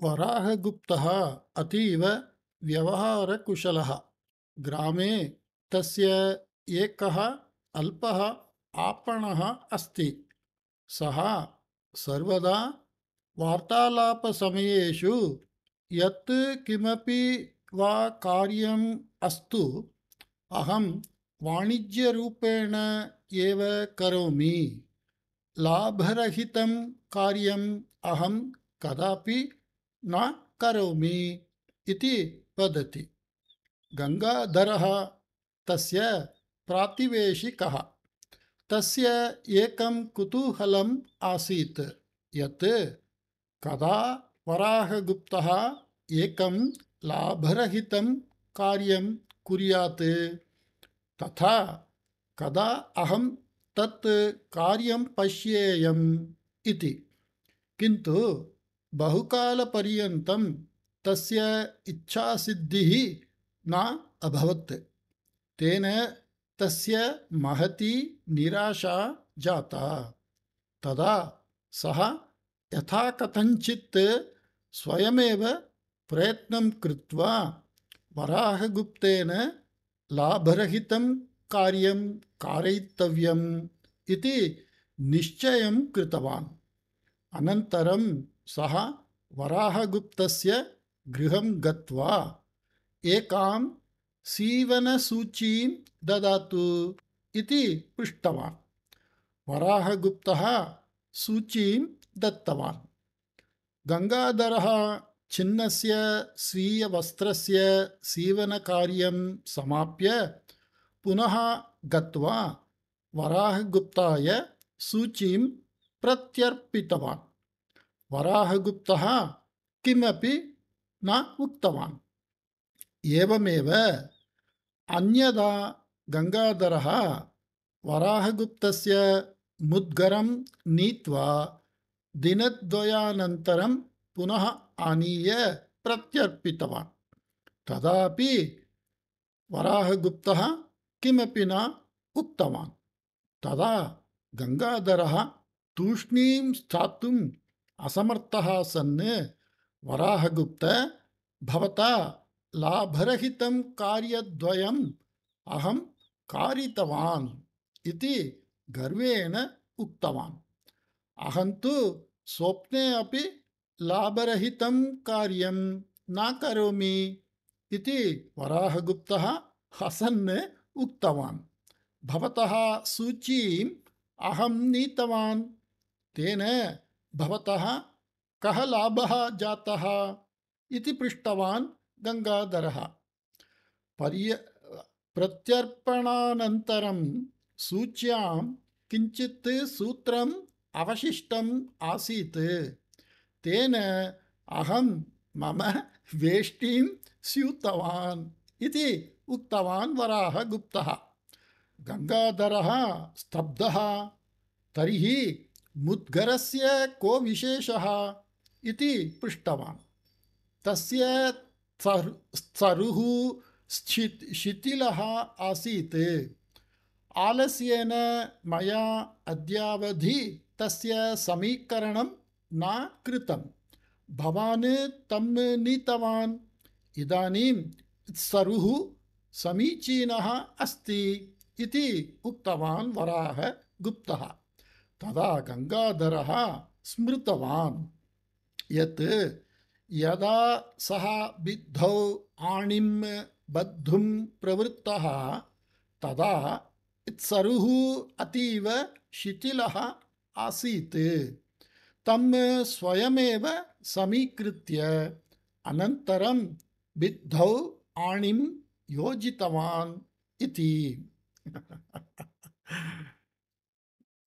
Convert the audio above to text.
वराहगुप्तः अतीव व्यवहारकुशलः। ग्रामे तस्य एकः अल्पः आपणः अस्ति। सः सर्वदा वार्तालापसमयेषु यत् किमपि वा कार्यम् अस्तु अहं वाणिज्यरूपेण एव करोमि। लाभरहितं कार्यम् अहं कदापि न करोमि इति वदति। गङ्गाधरः तस्य प्रातिवेशिकः। तस्य एकं कुतूहलम् आसीत् यत् कदा वराहगुप्तः एकं लाभरहितं कार्यं कुर्यात् तथा कदा अहं तत् कार्यं पश्येयम् इति। किन्तु बहुकालपर्यन्तं तस्य इच्छासिद्धिः न अभवत्। तेन तस्य महती निराशा जाता। तदा सः यथाकथञ्चित् स्वयमेव प्रयत्नं कृत्वा वराहगुप्तेन लाभरहितं कार्यं कारयितव्यम् इति निश्चयं कृतवान्। अनन्तरं सः वराहगुप्तस्य गृहं गत्वा एकां सीवनसूचीं ददातु इति पृष्टवान्। वराहगुप्तः सूचीं दत्तवान्। गङ्गाधरः छिन्नस्य स्वीयवस्त्रस्य सीवनकार्यं समाप्य पुनः गत्वा वराहगुप्ताय सूचीं प्रत्यर्पितवान्। वराहगुप्तः किमपि न उक्तवान्। एवमेव अन्यदा गङ्गाधरः वराहगुप्तस्य मुद्गरं नीत्वा दिनद्वयानन्तरं पुनः आनीय प्रत्यर्पितवान्। तदापि वराहगुप्तः किमपि न उक्तवान्। तदा गङ्गाधरः तूष्णीं स्थातुम् असमर्थः सन् वराहगुप्त, भवता लाभरहितं कार्यद्वयम् अहं कारितवान् इति गर्वेण उक्तवान्। अहं तु स्वप्ने अपि लाभरहितं कार्यं न करोमि इति वराहगुप्तः हसन् उक्तवान्। भवतः सूचीम् अहं नीतवान्। तेन भवतः कः लाभः जातः इति पृष्टवान् गङ्गाधरः। प्रत्यर्पणानन्तरं सूच्यां किञ्चित् सूत्रम् अवशिष्टम् आसीत्। तेन अहं मम वेष्टीं स्यूतवान् इति उक्तवान् वराहगुप्तः। गङ्गाधरः स्तब्धः। तर्हि मुद्गरस्य को विशेषः इति पृष्टवान्। तस्य स्तरुः शिथिलः आसीत्। आलस्येन मया अद्यावधि तस्य समीकरणं न कृतं। भवान् तं नीतवान्। इदानीं स्तरुः समीचीनः अस्ति इति उक्तवान् वराहगुप्तः। तदा गङ्गाधरः स्मृतवान् यत् यदा सः बिद्धौ आणिं बद्धुं प्रवृत्तः तदा स्तरुः अतीव शिथिलः आसीत्। तं स्वयमेव समीकृत्य अनन्तरं बिद्धौ आणिं योजितवान् इति।